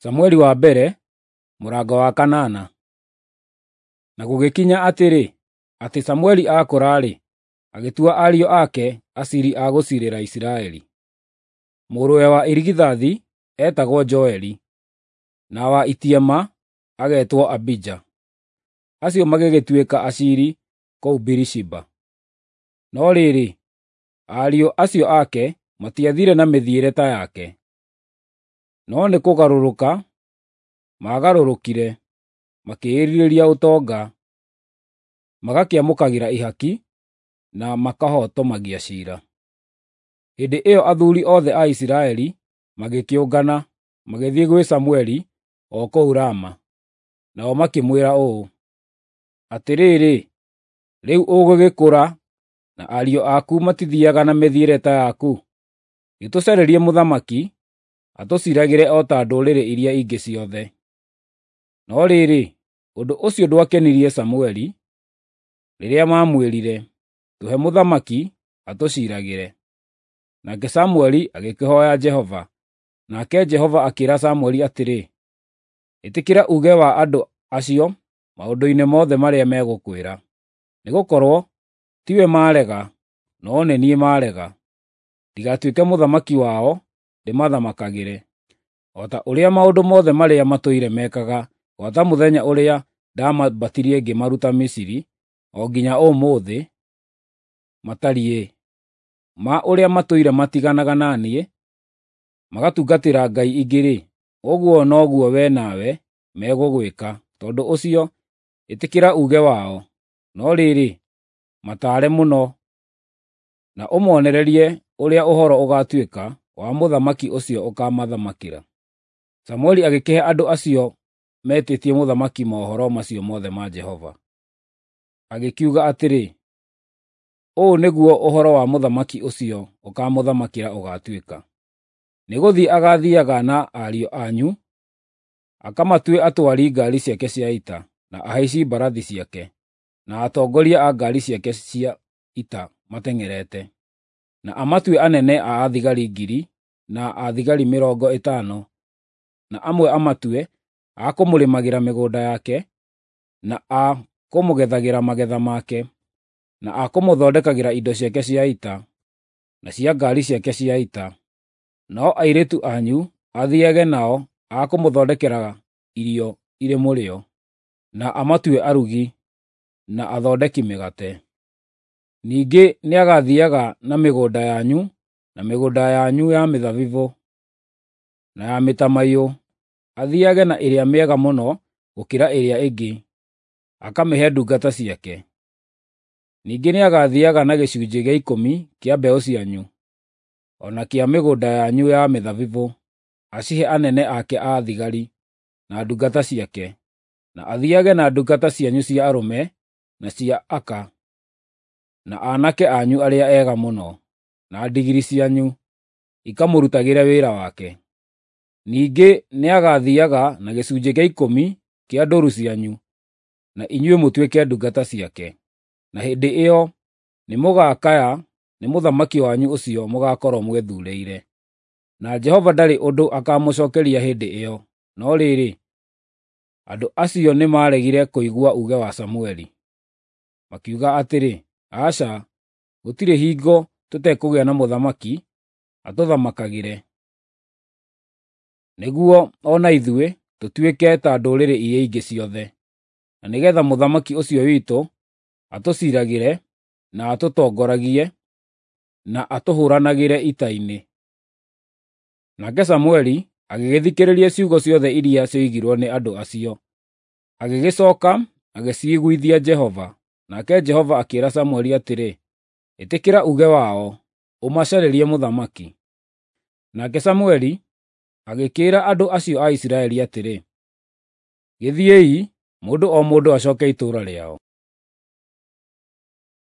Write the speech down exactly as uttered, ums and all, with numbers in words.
Samueli wa mbere, mũrango wa kanana. Na gũgĩkinya atĩrĩ, atĩ Samueli aakũra-rĩ, agĩtua ariũ ake aciiri a gũciirĩra Isiraeli. Mũrũwe wa irigithathi eetagwo Joeli, na wa itiema agetwo Abija. Acio magĩgĩtuĩka aciiri kũu Birishiba. No rĩrĩ, ariũ acio ake matiathiire na mĩthiĩre ta yake, no nĩ kũgarũrũka maagarũrũkire, makĩĩrirĩria ũtonga, magakĩamũkagĩra ihaki, na makahotomagia ciira. Hĩndĩ ĩyo athuuri othe a Isiraeli magĩkĩũngana, magĩthiĩ gwĩ Samũeli o kũu Rama. Nao makĩmwĩra ũũ, “Atĩrĩrĩ, rĩu ũgũgĩkũra, na ariũ aku matithiiaga na mĩthiĩre ta yaku. Gĩtũcarĩrie mũthamaki atũciiragĩre o ta ndũrĩrĩ iria ingĩ ciothe.” No rĩrĩ, ũndũ ũcio ndwakenirie Samũeli rĩrĩa maamwĩrire, “Tũhe mũthamaki atũciiragĩre.” Nake Samũeli agĩkĩhooya Jehova, nake Jehova akĩĩra Samũeli atĩrĩ, “Ĩtĩkĩra uuge wa andũ acio maũndũ-inĩ mothe marĩa megũkwĩra, nĩgũkorwo tiwe maarega, no nĩ niĩ maarega, ndigatuĩke mũthamaki wao ndĩmathamakagĩre, o ta ũrĩa maũndũ mothe marĩa matũire mekaga gwata mũthenya ũrĩa ndamambatirie ngĩmaruta Misiri o nginya ũmũthĩ matariĩ, ma ũrĩa matũire matiganaga na niĩ, magatungatĩra ngai ingĩ-rĩ, ũguo noguo wee nawe megũgwĩka. Tondũ ũcio, ĩtĩkĩra uuge wao, no rĩrĩ, mataare mũno, na ũmonererie ũrĩa ũhoro ũgaatuĩka wa mũthamaki ũcio ũkaamathamakĩra.” Samũeli agĩkĩhe andũ acio meetĩtie mũthamaki mohoro macio mothe ma Jehova. Agĩkiuga atĩrĩ, “Ũũ nĩguo ũhoro wa mũthamaki ũcio ũkaamũthamakĩra ũgaatuĩka: Nĩgũthiĩ agaathiiaga na ariũ anyu, akamatue atwari ngaari ciake cia ita, na ahaici mbarathi ciake, na atongoria a ngaari ciake cia ita mateng'erete, na amatue anene a athigari ngiri na a thigari mĩrongo ĩtano, na amwe amatue a kũmũrĩmagĩra mĩgũnda yake, na a kũmũgethagĩra magetha make, na a kũmũthondekagĩra indo ciake cia ita, na cia ngaari ciake cia ita. Nao airĩtu anyu athiiage nao a kũmũthondekeraga irio irĩ mũrĩo, na amatue arugi, na athondeki mĩgate. Ningĩ nĩagathiiaga na mĩgũnda yanyu na mĩgũnda yanyu ya mĩthabibũ, na ya mĩtamaiyũ, athiiage na ĩrĩa mĩega mũno gũkĩra ĩrĩa ĩngĩ, akamĩhe ndungata ciake. Ningĩ nĩagathiiaga na gĩcunjĩ gĩa ikũmi kĩa mbeũ cianyu, o na kĩa mĩgũnda yanyu ya mĩthabibũ, acihe anene ake a thigari, na ndungata ciake, na athiiage na ndungata cianyu cia arũme na cia aka, na aanake anyu arĩa ega mũno, na ndigiri cianyu, ikamũrutagĩre wĩra wake. Ningĩ nĩagathiiaga na gĩcunjĩ gĩa ikũmi kĩa ndũũru cianyu, na inyuĩ mũtuĩke ndungata ciake. Na hĩndĩ ĩyo nĩmũgakaya nĩ mũthamaki wanyu ũcio mũgaakorwo mwĩthuurĩire. Na Jehova ndarĩ ũndũ akaamũcookeria hĩndĩ ĩyo. No rĩrĩ, andũ acio nĩmaregire kũigua uuge wa Samũeli. Makiuga atĩrĩ, “Aca, gũtirĩ hingo tũtekũgĩa na mũthamaki atũthamakagĩre, nĩguo o na ithuĩ tũtuĩke ta ndũrĩrĩ iria ingĩ ciothe, na nĩgeetha mũthamaki ũcio witũ atũciiragĩre, na atũtongoragie, na atũhũũranagĩre ita-inĩ.” Nake Samũeli agĩgĩthikĩrĩria ciugo ciothe iria cioigirwo nĩ andũ acio, agĩgĩcooka agĩciiguithia Jehova. Nake Jehova akĩĩra Samũeli atĩrĩ, “Ĩtĩkĩra uuge wao, ũmacarĩrie mũthamaki.” Nake Samũeli agĩkĩĩra andũ acio a Isiraeli atĩrĩ, “Gĩthiĩi, mũndũ o mũndũ acooke itũũra rĩao.”